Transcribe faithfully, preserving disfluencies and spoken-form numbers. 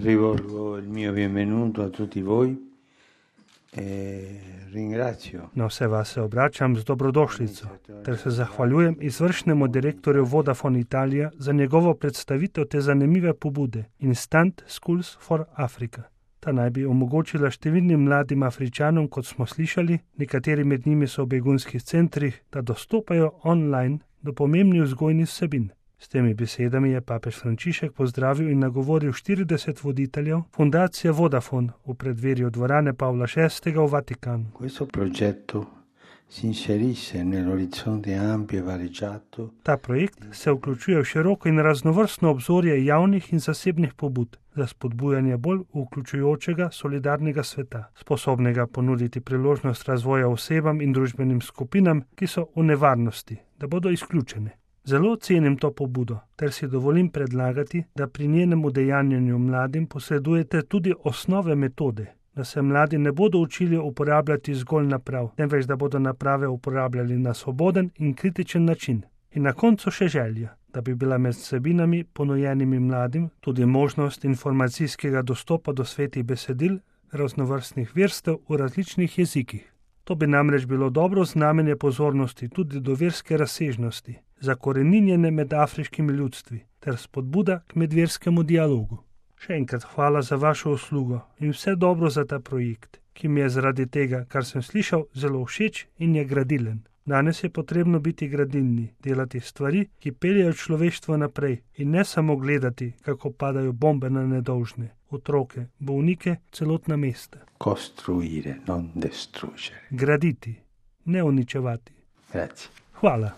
rivolgo il mio benvenuto a tutti voi e ringrazio. Na vse vas se obračam z dobrodošlico, ter se zahvaljujem izvršnemu direktorju Vodafone Italija za njegovo predstavitev te zanimive pobude Instant Schools for Africa. Ta naj bi omogočila številnim mladim Afričanom, kot smo slišali, nekateri med njimi so v begunskih centrih, da dostopajo online do pomembnih vzgojnih vsebin. S temi besedami je papež Frančišek pozdravil in nagovoril štirideset voditeljev fundacije Vodafone v predverju dvorane Pavla šestega v Vatikanu. Questo progetto si inserisce nell'orizzonte ampio e variegato. Ta projekt se vključuje v široko in raznovrstno obzorje javnih in zasebnih pobud za spodbujanje bolj vključujočega, solidarnega sveta, sposobnega ponuditi priložnost razvoja osebam in družbenim skupinam, ki so v nevarnosti, da bodo izključene. Zelo cenim to pobudo, ter si dovolim predlagati, da pri njenem udejanjanju mladim posredujete tudi osnove metode, da se mladi ne bodo učili uporabljati zgolj naprav, temveč da bodo naprave uporabljali na svoboden in kritičen način. In na koncu še želja, da bi bila med vsebinami ponujenimi mladim tudi možnost informacijskega dostopa do svetih besedil raznovrstnih verstev v različnih jezikih. To bi namreč bilo dobro znamenje pozornosti tudi do verske razsežnosti, zakoreninjene med afriškimi ljudstvi, ter spodbuda k medverskemu dialogu. Še enkrat hvala za vašo uslugo in vse dobro za ta projekt, ki mi je zaradi tega, kar sem slišal, zelo všeč in je gradilen. Danes je potrebno biti gradilni, delati stvari, ki peljejo človeštvo naprej in ne samo gledati, kako padajo bombe na nedolžne, otroke, bolnike, celotna mesta. Costruire, non distruggere. Graditi, ne uničevati. Grazie. Hvala.